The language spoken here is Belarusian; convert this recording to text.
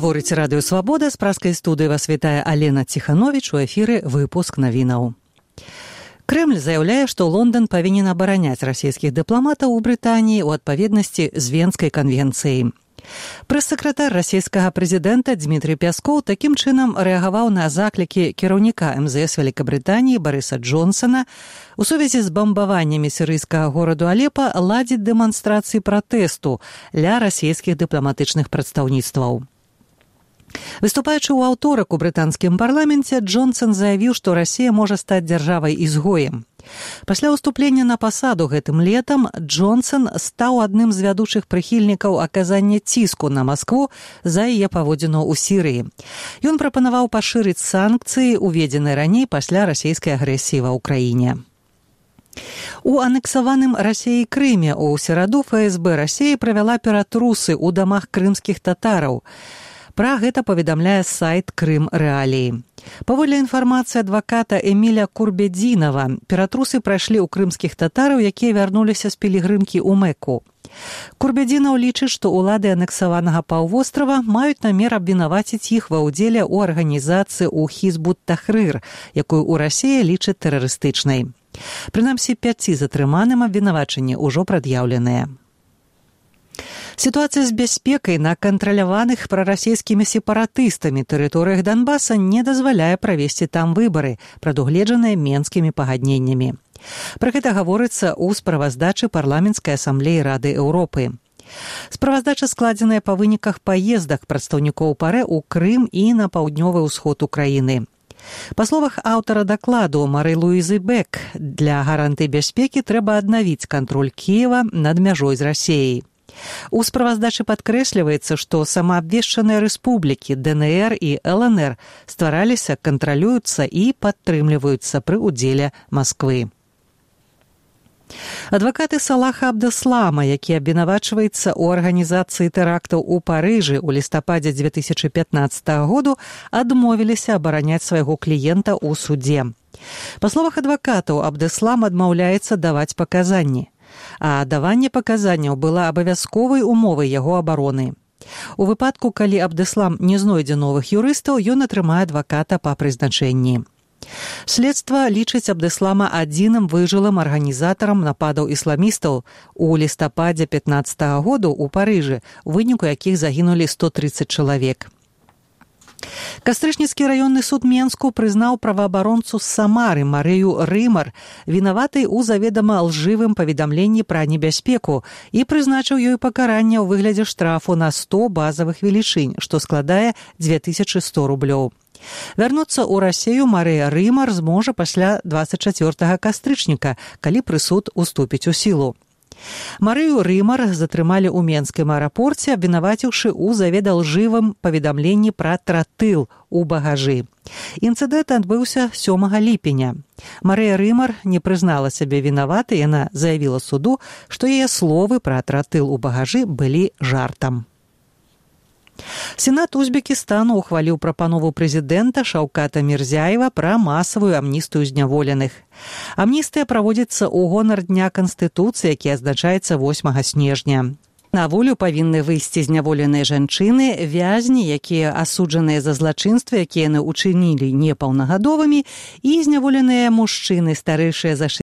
Гаворыць радыё «Свабода», з праскай студыі вас вітае Алена Ціхановіч, у эфіры выпуск навінаў. Крэмль заяўляе, што Лондан павінен абараняць расійскіх дыпламатаў у Брытаніі ў адпаведнасці з Венскай канвенцыяй. Прэс-сакратар расійскага прэзідэнта Дмітрый Пяскоў такім чынам рэагаваў на заклікі кіраўніка МЗС Вялікабрытаніі Барыса Джонсана у сувязі з бамбаваннямі сірыйскага гораду Алепа ладзіць дэманстрацыі пратэсту ля расійскіх дыпламатычных прадстаўніцтваў. Выступаючы ў аўторак у брытанскім парламенце, Джонсан заявіў, што Расія можа стаць дзяржавай-ізгоем. Пасля ўступлення на пасаду гэтым летам Джонсан стаў адным з вядучых прыхільнікаў аказання ціску на Маскву за яе паводзіну ў Сірыі. Ён прапанаваў пашырыць санкцыі, уведзеныя раней пасля расійскай агрэсіі ва ўкраіне. У анексаваным Расіяй Крыме ў сераду ФСБ Расіі правяла ператрусы ў дамах крымскіх татараў. Пра гэта паведамляе сайт Крым Рэаліі. Паводле інфармацыі адваката Эміля Курбедзінава, ператрусы прайшлі ў крымскіх татараў, якія вярнуліся з пілігрымкі ў Мэку. Курбедзінаў лічыць, што ўлады анексаванага паўвострава маюць намер абвінаваціць іх ва ўдзеле ў арганізацыі ў Хізбут-Тахрыр, якую ў Расіі лічаць тэрарыстычнай. Прынамсі, 5 затрыманым абвінавачанні ўжо прад'яўленыя. Сітуацыя з бяспекай на кантраляваных прарасійскімі сепаратыстамі тэрыторыях Донбаса не дазваляе правесці там выбары, прадугледжаныя Менскімі пагадненнямі. Пра гэта гаворыцца ў справаздачы парламенцкай асамблеі Рады Еўропы. Справаздача складзеная па выніках паездак прадстаўнікоў ПАРЭ ў Крым і на паўднёвы ўсход Украіны. Па словах аўтара дакладу Мары Луізы Бек, для гарантыі бяспекі трэба аднавіць кантроль Кіева над мяжой з Расіяй. У справаздачы падкрэсліваецца, што самаабвешчаныя рэспублікі ДНР і ЛНР ствараліся, кантралююцца і падтрымліваюцца пры ўдзеле Масквы. Адвакаты Салаха Абдэслама, які абвінавачваецца ў арганізацыі тэрактаў у Парыжы ў лістападзе 2015 году, адмовіліся абараняць свайго кліента ў судзе. Па словах адвакатаў, Абдэслам адмаўляецца даваць паказанні. А даванне паказанняў была абавязковай умовай яго абароны. У выпадку, калі Абдэслам не знойдзе новых юрыстаў, ён атрымае адваката па прызначэнні. Следства лічыць Абдэслама адзіным выжылым арганізатарам нападаў ісламістаў у лістападзе 15 году ў Парыжы, у выніку якіх загінулі 130 чалавек. Кастрычніцкі раённы суд Менску прызнаў праваабаронцу з Самары Марыю Рымар вінаватай у заведама лжывым паведамленні пра небяспеку і прызначыў ёй пакаранне ў выглядзе штрафу на 100 базавых велічынь, што складае 2100 рублёў. Вярнуцца ў Расію Марыя Рымар зможа пасля 24 кастрычніка, калі прысуд уступіць у сілу. Марыю Рымар затрымалі ў Менскім аэрапорце, абвінаваціўшы ў заведалжывым паведамленні пра тротыл у багажы. Інцыдэнт адбыўся 7 ліпеня. Марыя Рымар не прызнала сябе вінаватай, яна заявіла суду, што яе словы пра тротыл у багажы былі жартам. Сенат Узбекістану ухваліў прапанову прэзідэнта Шаўката Мірзяева пра масавую амністыю зняволеных. Амністыя праводзіцца ў гонар Дня Канстытуцыі, які адзначаецца 8 снежня. На волю павінны выйсці зняволеныя жанчыны, вязні, якія асуджаныя за злачынствы, якія яны ўчынілі непаўнагадовымі, і зняволеныя мужчыны, старэйшыя за